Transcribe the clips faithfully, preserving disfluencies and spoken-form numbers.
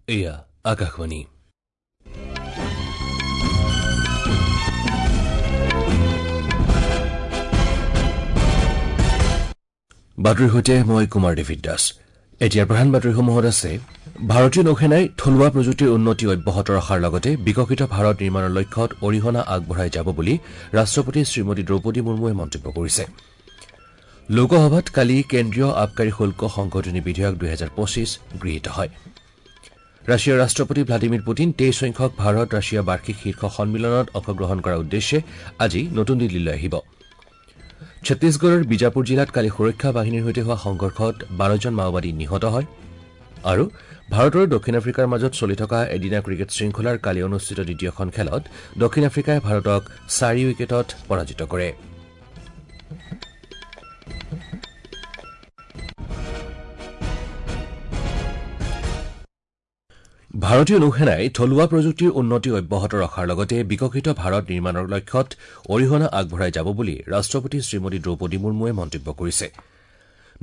এয়া আকাশবাণী। বাতৰিৰ সৈতে মই কুমাৰ ডেভিড দাস। এতিয়াৰ প্ৰধান বাতৰিসমূহত আছে: ভাৰতীয় নৌসেনাই থলুৱা প্ৰযুক্তিৰ উন্নতি অব্যাহত ৰখাৰ লগতে বিকশিত ভাৰত নিৰ্মাণৰ লক্ষ্যত অৰিহণা আগবঢ়াই যাব বুলি ৰাষ্ট্ৰপতি শ্ৰীমতী দ্ৰৌপদী মুৰ্মুৱে মন্তব্য কৰিছে। লোকসভাত কালি কেন্দ্ৰীয় আবকাৰী শুল্ক সংশোধনী বিধেয়ক দুহেজাৰ পঁচিছ গৃহীত হয়। ৰাছিয়াৰ ৰাষ্ট্ৰপতি ভ্লাদিমিৰ পুটিন তেইছ সংখ্যক ভাৰত ৰাছিয়া বাৰ্ষিক শীৰ্ষ সন্মিলনত অংশগ্ৰহণ কৰাৰ উদ্দেশ্যে আজি নতুন দিল্লীলৈ আহিব। ছত্তীশগড়ৰ বিজাপুৰ জিলাত কালি সুৰক্ষা বাহিনীৰ সৈতে হোৱা সংঘৰ্ষত বাৰজন মাওবাদী নিহত হয়। আৰু ভাৰত আৰু দক্ষিণ আফ্ৰিকাৰ মাজত চলি থকা এদিনীয়া ক্ৰিকেট শৃংখলাৰ কালি অনুষ্ঠিত দ্বিতীয়খন খেলত দক্ষিণ আফ্ৰিকাই ভাৰতক চাৰি উইকেটত পৰাজিত কৰে। ভাৰতীয় নৌসেনাই থলুৱা প্ৰযুক্তিৰ উন্নতি অব্যাহত ৰখাৰ লগতে বিকশিত ভাৰত নিৰ্মাণৰ লক্ষ্যত অৰিহণা আগবঢ়াই যাব বুলি ৰাষ্ট্ৰপতি শ্ৰীমতী দ্ৰৌপদী মুৰ্মুৱে মন্তব্য কৰিছে।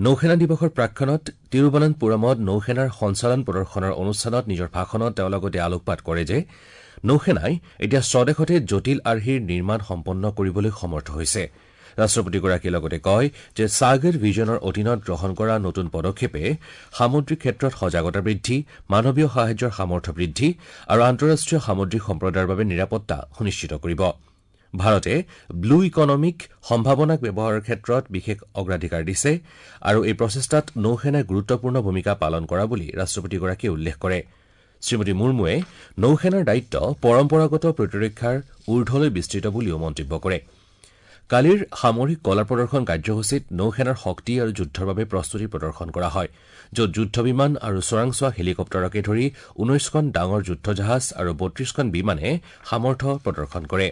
নৌসেনা দিৱসৰ প্ৰাকক্ষণত তিৰুৱনন্তপুৰমত নৌসেনাৰ সঞ্চালন প্ৰদৰ্শনৰ অনুষ্ঠানত নিজৰ ভাষণত তেওঁ লগতে আলোকপাত কৰে যে নৌসেনাই এতিয়া স্বদেশতে জটিল আৰ্হিৰ নিৰ্মাণ সম্পন্ন কৰিবলৈ সমৰ্থ হৈছে। ৰাষ্ট্ৰপতিগৰাকীয়ে লগতে কয় যে সাগৰ ভিজনৰ অধীনত গ্ৰহণ কৰা নতুন পদক্ষেপে সামুদ্ৰিক ক্ষেত্ৰত সজাগতা বৃদ্ধি, মানৱীয় সাহায্যৰ সামৰ্থ্য বৃদ্ধি আৰু আন্তঃৰাষ্ট্ৰীয় সামুদ্ৰিক সম্প্ৰদায়ৰ বাবে নিৰাপত্তা সুনিশ্চিত কৰিব। ভাৰতে ব্লু ইকনমিক সম্ভাৱনাক ব্যৱহাৰৰ ক্ষেত্ৰত বিশেষ অগ্ৰাধিকাৰ দিছে আৰু এই প্ৰচেষ্টাত নৌসেনাই গুৰুত্বপূৰ্ণ ভূমিকা পালন কৰা বুলি ৰাষ্ট্ৰপতিগৰাকীয়ে উল্লেখ কৰে। শ্ৰীমতী মুৰ্মুৱে নৌসেনাৰ দায়িত্ব পৰম্পৰাগত প্ৰতিৰক্ষাৰ ঊৰ্ধলৈ বিস্তৃত বুলিও মন্তব্য কৰে। কালিৰ সামৰিক কলা প্ৰদৰ্শন কাৰ্যসূচীত নৌসেনাৰ শক্তি আৰু যুদ্ধৰ বাবে প্ৰস্তুতি প্ৰদৰ্শন কৰা হয়, য'ত যুদ্ধ বিমান আৰু চোৰাংচোৱা হেলিকপ্টাৰকে ধৰি ঊনৈশখন ডাঙৰ যুদ্ধজাহাজ আৰু বত্ৰিশখন বিমানে সামৰ্থ্য প্ৰদৰ্শন কৰে।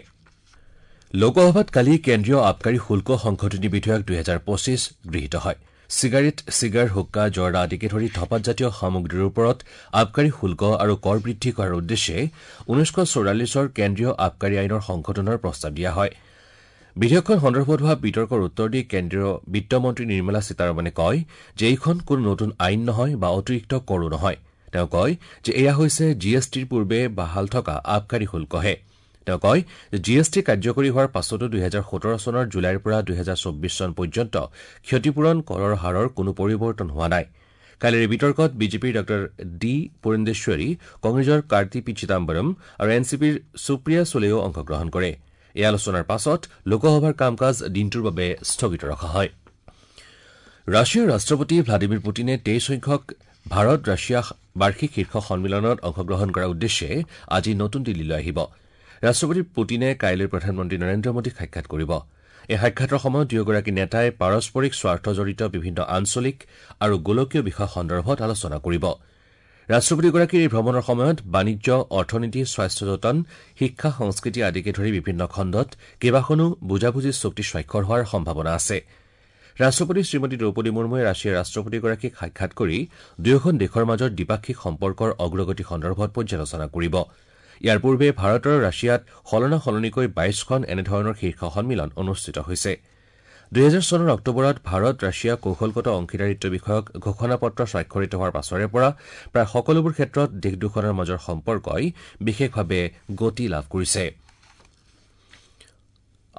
লোকসভাত কালি কেন্দ্ৰীয় আবকাৰী শুল্ক সংশোধনী বিধেয়ক দুহেজাৰ পঁচিছ গৃহীত হয়। চিগাৰেট, চিগাৰ, হুক্কা, জৰ্দা আদিকে ধৰি ধপাতজাতীয় সামগ্ৰীৰ ওপৰত আবকাৰী শুল্ক আৰু কৰ বৃদ্ধি কৰাৰ উদ্দেশ্যে ঊনৈছশ চৌৰাল্লিছৰ কেন্দ্ৰীয় আবকাৰী আইনৰ সংশোধনৰ প্ৰস্তাৱ দিয়া হয়। বিধেয়কখন সন্দৰ্ভত হোৱা বিতৰ্কৰ উত্তৰ দি কেন্দ্ৰীয় বিত্তমন্ত্ৰী নিৰ্মলা সীতাৰমণে কয় যে এইখন কোনো নতুন আইন নহয় বা অতিৰিক্ত কৰো নহয়। তেওঁ কয় যে এয়া হৈছে জি এছ টিৰ পূৰ্বে বাহাল থকা আবকাৰী শুল্কহে। তেওঁ কয় যে জি এছ টি কাৰ্যকৰী হোৱাৰ পাছতো দুহেজাৰ সোতৰ চনৰ জুলাইৰ পৰা দুহেজাৰ চৌব্বিছ চন পৰ্যন্ত ক্ষতিপূৰণ কৰৰ হাৰৰ কোনো পৰিৱৰ্তন হোৱা নাই। কালিৰ বিতৰ্কত বিজেপিৰ ডাঃ ডি পুৰন্দেশ্বৰী, কংগ্ৰেছৰ কাৰ্তি পি চিদাম্বৰম আৰু এন চি পিৰ সুপ্ৰিয়া চুলেও অংশগ্ৰহণ কৰে। এই আলোচনাৰ পাছত লোকসভাৰ কাম কাজ দিনটোৰ বাবে স্থগিত ৰখা হয়। ৰাছিয়াৰ ৰাষ্ট্ৰপতি ভ্লাদিমিৰ পুটিনে তেইছ সংখ্যক ভাৰত ৰাছিয়া বাৰ্ষিক শীৰ্ষ সন্মিলনত অংশগ্ৰহণ কৰাৰ উদ্দেশ্যে আজি নতুন দিল্লীলৈ আহিব। ৰাষ্ট্ৰপতি পুটিনে কাইলৈ প্ৰধানমন্ত্ৰী নৰেন্দ্ৰ মোদীক সাক্ষাৎ কৰিব। এই সাক্ষাতৰ সময়ত দুয়োগৰাকী নেতাই পাৰস্পৰিক স্বাৰ্থজড়িত বিভিন্ন আঞ্চলিক আৰু গোলকীয় বিষয় সন্দৰ্ভত আলোচনা কৰিব। ৰাষ্ট্ৰপতিগৰাকীৰ এই ভ্ৰমণৰ সময়ত বাণিজ্য, অৰ্থনীতি, স্বাস্থ্য যতন, শিক্ষা, সংস্কৃতি আদিকে ধৰি বিভিন্ন খণ্ডত কেইবাখনো বুজাবুজিৰ চুক্তি স্বাক্ষৰ হোৱাৰ সম্ভাৱনা আছে। ৰাষ্ট্ৰপতি শ্ৰীমতী দ্ৰৌপদী মুৰ্মুৱে ৰাছিয়াৰ ৰাষ্ট্ৰপতিগৰাকীক সাক্ষাৎ কৰি দুয়োখন দেশৰ মাজৰ দ্বিপাক্ষিক সম্পৰ্কৰ অগ্ৰগতি সন্দৰ্ভত পৰ্যালোচনা কৰিব। ইয়াৰ পূৰ্বে ভাৰত আৰু ৰাছিয়াত সলনা সলনিকৈ বাইশখন এনেধৰণৰ শীৰ্ষ সন্মিলন অনুষ্ঠিত হৈছে। দুহেজাৰ চনৰ অক্টোবৰত ভাৰত ৰাছিয়া কৌশলগত অংশীদাৰিত্ব বিষয়ক ঘোষণাপত্ৰ স্বাক্ষৰিত হোৱাৰ পাছৰে পৰা প্ৰায় সকলোবোৰ ক্ষেত্ৰত দেশ দুখনৰ মাজৰ সম্পৰ্কই বিশেষভাৱে গতি লাভ কৰিছে।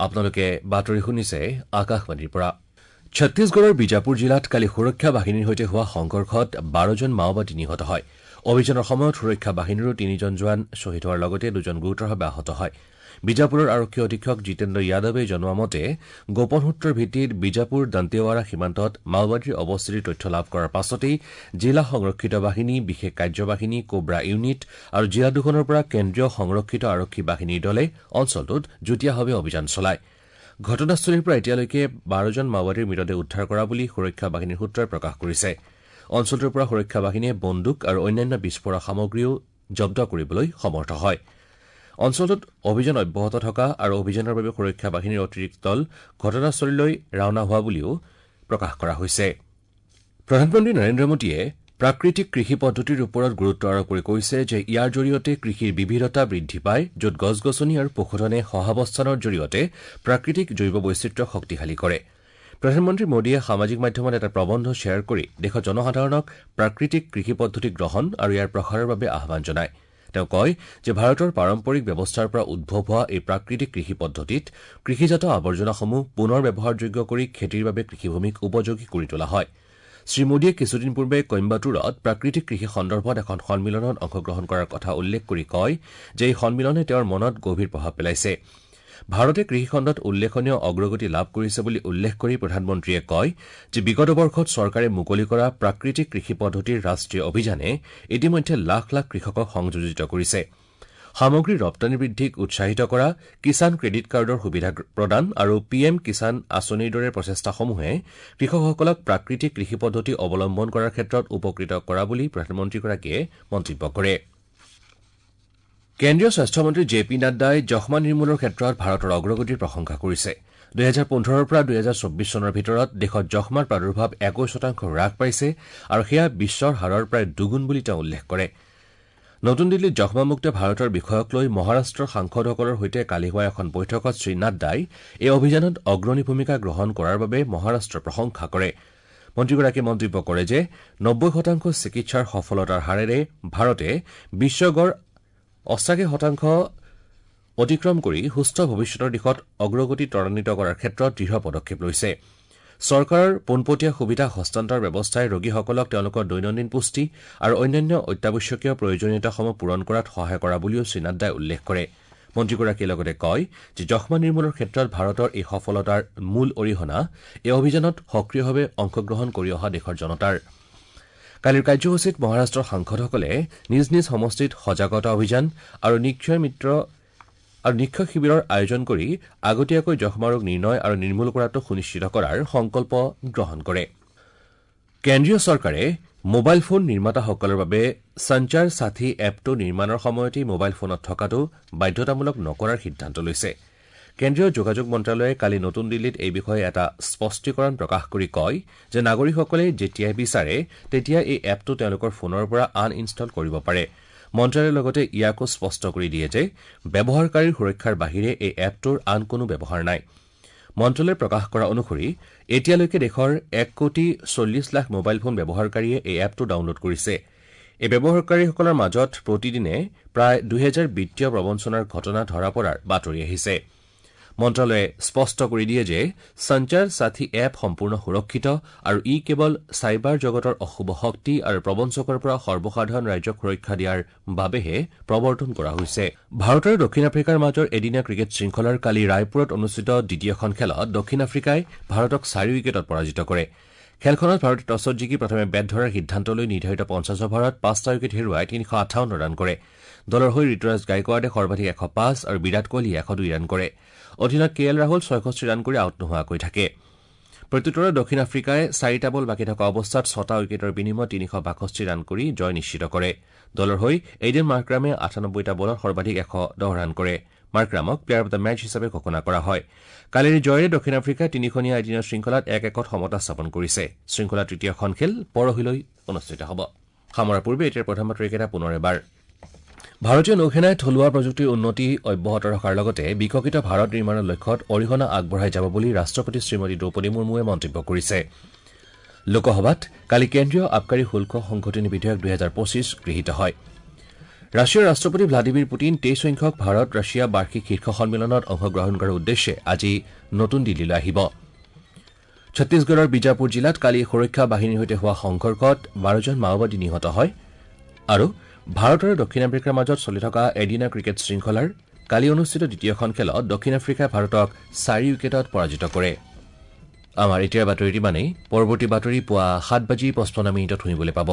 আপোনালোকে বাতৰি শুনিছে আকাশবাণীৰ পৰা। ছত্তীশগড়ৰ বিজাপুৰ জিলাত কালি সুৰক্ষা বাহিনীৰ সৈতে হোৱা সংঘৰ্ষত বাৰজন মাওবাদী নিহত হয়। অভিযানৰ সময়ত সুৰক্ষা বাহিনীৰো তিনিজন জোৱান শ্বহীদ হোৱাৰ লগতে দুজন গুৰুতৰভাৱে আহত হয়। বিজাপুৰৰ আৰক্ষী অধীক্ষক জিতেন্দ্ৰ যাদৱে জনোৱা মতে গোপন সূত্ৰৰ ভিত্তিত বিজাপুৰ দন্তেৱাৰা সীমান্তত মাওবাদীৰ অৱস্থিতিৰ তথ্য লাভ কৰাৰ পাছতেই জিলা সংৰক্ষিত বাহিনী, বিশেষ কাৰ্যবাহিনী, কোব্ৰা ইউনিট আৰু জিলা দুখনৰ পৰা কেন্দ্ৰীয় সংৰক্ষিত আৰক্ষী বাহিনীৰ দলে অঞ্চলটোত যুটীয়াভাৱে অভিযান চলায়। ঘটনাস্থলীৰ পৰা এতিয়ালৈকে বাৰজন মাওবাদীৰ মৃতদেহ উদ্ধাৰ কৰা বুলি সুৰক্ষা বাহিনীৰ সূত্ৰই প্ৰকাশ কৰিছে। অঞ্চলটোৰ পৰা সুৰক্ষা বাহিনীয়ে বন্দুক আৰু অন্যান্য বিস্ফোৰক সামগ্ৰীও জব্দ কৰিবলৈ সমৰ্থ হয়। অঞ্চলটোত অভিযান অব্যাহত থকা আৰু অভিযানৰ বাবে সুৰক্ষা বাহিনীৰ অতিৰিক্ত দল ঘটনাস্থলীলৈ ৰাওনা হোৱা বুলিও প্ৰকাশ কৰা হৈছে। প্ৰধানমন্ত্ৰী নৰেন্দ্ৰ মোদীয়ে প্ৰাকৃতিক কৃষি পদ্ধতিৰ ওপৰত গুৰুত্ব আৰোপ কৰি কৈছে যে ইয়াৰ জৰিয়তে কৃষিৰ বিবিধতা বৃদ্ধি পায়, য'ত গছ গছনি আৰু পশুধনে সহাৱস্থানৰ জৰিয়তে প্ৰাকৃতিক জৈৱ বৈচিত্ৰ্য শক্তিশালী কৰে। প্ৰধানমন্ত্ৰী মোদীয়ে সামাজিক মাধ্যমত এটা প্ৰবন্ধ শ্বেয়াৰ কৰি দেশৰ জনসাধাৰণক প্ৰাকৃতিক কৃষি পদ্ধতি গ্ৰহণ আৰু ইয়াৰ প্ৰসাৰৰ বাবে আহ্বান জনায়। তেওঁ কয় যে ভাৰতৰ পাৰম্পৰিক ব্যৱস্থাৰ পৰা উদ্ভৱ হোৱা এই প্ৰাকৃতিক কৃষি পদ্ধতিত কৃষিজাত আৱৰ্জনাসমূহ পুনৰ ব্যৱহাৰযোগ্য কৰি খেতিৰ বাবে কৃষিভূমিক উপযোগী কৰি তোলা হয়। শ্ৰীমোদীয়ে কিছুদিন পূৰ্বে কইম্বাটুৰত প্ৰাকৃতিক কৃষি সন্দৰ্ভত এখন সন্মিলনত অংশগ্ৰহণ কৰাৰ কথা উল্লেখ কৰি কয় যে এই সন্মিলনে তেওঁৰ মনত গভীৰ প্ৰভাৱ পেলাইছে। ভাৰতে কৃষিখণ্ডত উল্লেখনীয় অগ্ৰগতি লাভ কৰিছে বুলি উল্লেখ কৰি প্ৰধানমন্ত্ৰীয়ে কয় যে বিগত বৰ্ষত চৰকাৰে মুকলি কৰা প্ৰাকৃতিক কৃষি পদ্ধতিৰ ৰাষ্ট্ৰীয় অভিযানে ইতিমধ্যে লাখ লাখ কৃষকক সংযোজিত কৰিছে। সামগ্ৰীৰ ৰপ্তানি বৃদ্ধিক উৎসাহিত কৰা, কিষাণ ক্ৰেডিট কাৰ্ডৰ সুবিধা প্ৰদান আৰু পি এম কিষাণ আঁচনিৰ দৰে প্ৰচেষ্টাসমূহে কৃষকসকলক প্ৰাকৃতিক কৃষি পদ্ধতি অৱলম্বন কৰাৰ ক্ষেত্ৰত উপকৃত কৰা বুলি প্ৰধানমন্ত্ৰীগৰাকীয়ে মন্তব্য কৰে। কেন্দ্ৰীয় স্বাস্থ্যমন্ত্ৰী জে পি নাড্ডাই যক্ষ্মা নিৰ্মূলৰ ক্ষেত্ৰত ভাৰতৰ অগ্ৰগতিৰ প্ৰশংসা কৰিছে। দুহেজাৰ পোন্ধৰৰ পৰা দুহেজাৰ চৌব্বিছ চনৰ ভিতৰত দেশত যক্ষ্মাৰ প্ৰাদুৰ্ভাৱ একৈশ শতাংশ হ্ৰাস পাইছে আৰু সেয়া বিশ্বৰ হাৰৰ প্ৰায় দুগুণ বুলি তেওঁ উল্লেখ কৰে। নতুন দিল্লীত যক্ষ্মামুক্ত ভাৰতৰ বিষয়ক লৈ মহাৰাষ্ট্ৰৰ সাংসদসকলৰ সৈতে কালি হোৱা এখন বৈঠকত শ্ৰীনাড্ডাই এই অভিযানত অগ্ৰণী ভূমিকা গ্ৰহণ কৰাৰ বাবে মহাৰাষ্ট্ৰৰ প্ৰশংসা কৰে। মন্ত্ৰীগৰাকীয়ে মন্তব্য কৰে যে নব্বৈ শতাংশ চিকিৎসাৰ সফলতাৰ হাৰেৰে ভাৰতে বিশ্বৰ অষ্টাশী শতাংশ অতিক্ৰম কৰি সুস্থ ভৱিষ্যতৰ দিশত অগ্ৰগতি ত্বৰান্বিত কৰাৰ ক্ষেত্ৰত দৃঢ় পদক্ষেপ লৈছে। চৰকাৰৰ পোনপটীয়া সুবিধা হস্তান্তৰ ব্যৱস্থাই ৰোগীসকলক তেওঁলোকৰ দৈনন্দিন পুষ্টি আৰু অন্যান্য অত্যাৱশ্যকীয় প্ৰয়োজনীয়তাসমূহ পূৰণ কৰাত সহায় কৰা বুলিও শ্ৰীনাড্ডাই উল্লেখ কৰে। মন্ত্ৰীগৰাকীয়ে লগতে কয় যে যক্ষ্মা নিৰ্মূলৰ ক্ষেত্ৰত ভাৰতৰ এই সফলতাৰ মূল অৰিহণা এই অভিযানত সক্ৰিয়ভাৱে অংশগ্ৰহণ কৰি অহা দেশৰ জনতাৰ। কালিৰ কাৰ্যসূচীত মহাৰাষ্ট্ৰৰ সাংসদসকলে নিজ নিজ সমষ্টিত সজাগতা অভিযান আৰু নিক্ষয় মিত্ৰ আৰু নিক্ষয় শিবিৰৰ আয়োজন কৰি আগতীয়াকৈ যক্ষ্মা ৰোগ নিৰ্ণয় আৰু নিৰ্মূল কৰাটো সুনিশ্চিত কৰাৰ সংকল্প গ্ৰহণ কৰে। কেন্দ্ৰীয় চৰকাৰে মোবাইল ফোন নিৰ্মাতাসকলৰ বাবে সঞ্চাৰ সাথী এপটো নিৰ্মাণৰ সময়তেই মোবাইল ফোনত থকাটো বাধ্যতামূলক নকৰাৰ সিদ্ধান্ত লৈছে। কেন্দ্ৰীয় যোগাযোগ মন্ত্ৰালয়ে কালি নতুন দিল্লীত এই বিষয়ে এটা স্পষ্টীকৰণ প্ৰকাশ কৰি কয় যে নাগৰিকসকলে যেতিয়াই বিচাৰে তেতিয়া এই এপটো তেওঁলোকৰ ফোনৰ পৰা আনইনষ্টল কৰিব পাৰে। মন্ত্ৰালয়ে লগতে ইয়াকো স্পষ্ট কৰি দিয়ে যে ব্যৱহাৰকাৰীৰ সুৰক্ষাৰ বাহিৰে এই এপটোৰ আন কোনো ব্যৱহাৰ নাই। মন্ত্ৰালয়ে প্ৰকাশ কৰা অনুসৰি এতিয়ালৈকে দেশৰ এক কোটি চল্লিছ লাখ মোবাইল ফোন ব্যৱহাৰকাৰীয়ে এই এপটো ডাউনলোড কৰিছে। এই ব্যৱহাৰকাৰীসকলৰ মাজত প্ৰতিদিনে প্ৰায় দুহেজাৰ বিত্তীয় প্ৰবঞ্চনাৰ ঘটনা ধৰা পৰাৰ বাতৰি আহিছে। মন্ত্ৰালয়ে স্পষ্ট কৰি দিয়ে যে সঞ্চাৰ সাথী এপ সম্পূৰ্ণ সুৰক্ষিত আৰু ই কেৱল চাইবাৰ জগতৰ অশুভ শক্তি আৰু প্ৰবঞ্চকৰ পৰা সৰ্বসাধাৰণ ৰাইজক সুৰক্ষা দিয়াৰ বাবেহে প্ৰৱৰ্তন কৰা হৈছে। ভাৰত আৰু দক্ষিণ আফ্ৰিকাৰ মাজৰ এদিনীয়া ক্ৰিকেট শৃংখলাৰ কালি ৰায়পুৰত অনুষ্ঠিত দ্বিতীয়খন খেলত দক্ষিণ আফ্ৰিকাই ভাৰতক চাৰি উইকেটত পৰাজিত কৰে। খেলখনত ভাৰতে টছত জিকি প্ৰথমে বেট ধৰাৰ সিদ্ধান্ত লৈ নিৰ্ধাৰিত পঞ্চাছ অভাৰত পাঁচটা উইকেট হেৰুৱাই তিনিশ আঠাৱন্ন ৰান কৰে। দলৰ হৈ ঋতুৰাজ গাইকোৱাডে সৰ্বাধিক এশ পাঁচ আৰু বিৰাট কোহলীয়ে এশ দুই ৰান কৰে। অধিনায়ক কে এল ৰাহুল ছয়ষষ্ঠি ৰান কৰি আউট নোহোৱাকৈ থাকে। প্ৰত্যুত্তৰত দক্ষিণ আফ্ৰিকাই চাৰিটা বল বাকী থকা অৱস্থাত ছটা উইকেটৰ বিনিময়ত তিনিশ বাষষ্ঠি ৰান কৰি জয় নিশ্চিত কৰে। দলৰ হৈ এইডেন মাৰ্ক্ৰামে আঠানব্বৈটা বলত সৰ্বাধিক এশ দহ ৰান কৰে। মাৰ্ক্ৰামক প্লেয়াৰ অব the match হিচাপে ঘোষণা কৰা হয়। কালিৰ জয়েৰে দক্ষিণ আফ্ৰিকাই তিনিখনীয়া এদিনীয়া শৃংখলাত এক একত সমতা স্থাপন কৰিছে। শৃংখলাৰ তৃতীয়খন খেল পৰহিলৈ অনুষ্ঠিত হ'ব। সামৰাৰ পূৰ্বে এতিয়াৰ প্ৰধান বাতৰিকেইটা পুনৰ এবাৰ। ভাৰতীয় নৌসেনাই থলুৱা প্ৰযুক্তিৰ উন্নতি অব্যাহত ৰখাৰ লগতে বিকশিত ভাৰত নিৰ্মাণৰ লক্ষ্যত অৰিহণা আগবঢ়াই যাব বুলি ৰাষ্ট্ৰপতি শ্ৰীমতী দ্ৰৌপদী মুৰ্মুৱে মন্তব্য কৰিছে। লোকসভাত কালি কেন্দ্ৰীয় আবকাৰী শুল্ক সংশোধনী বিধেয়ক দুহেজাৰ পঁচিছ গৃহীত হয়। ৰাছিয়াৰ ৰাষ্ট্ৰপতি ভ্লাদিমিৰ পুটিন তেইছ সংখ্যক ভাৰত ৰাছিয়া বাৰ্ষিক শীৰ্ষ সন্মিলনত অংশগ্ৰহণ কৰাৰ উদ্দেশ্যে আজি নতুন দিল্লীলৈ আহিব। ছত্তীশগড়ৰ বিজাপুৰ জিলাত কালি সুৰক্ষা বাহিনীৰ সৈতে হোৱা সংঘৰ্ষত বাৰজন মাওবাদী নিহত হয়। আৰু ভাৰত আৰু দক্ষিণ আফ্ৰিকাৰ মাজত চলি থকা এদিনীয়া ক্ৰিকেট শৃংখলাৰ কালি অনুষ্ঠিত দ্বিতীয়খন খেলত দক্ষিণ আফ্ৰিকাই ভাৰতক চাৰি উইকেটত পৰাজিত কৰে। আমাৰ এতিয়াৰ বাতৰি ইমানেই। পৰৱৰ্তী বাতৰি পুৱা সাত বাজি পঁচপন্ন মিনিটত শুনিবলৈ পাব।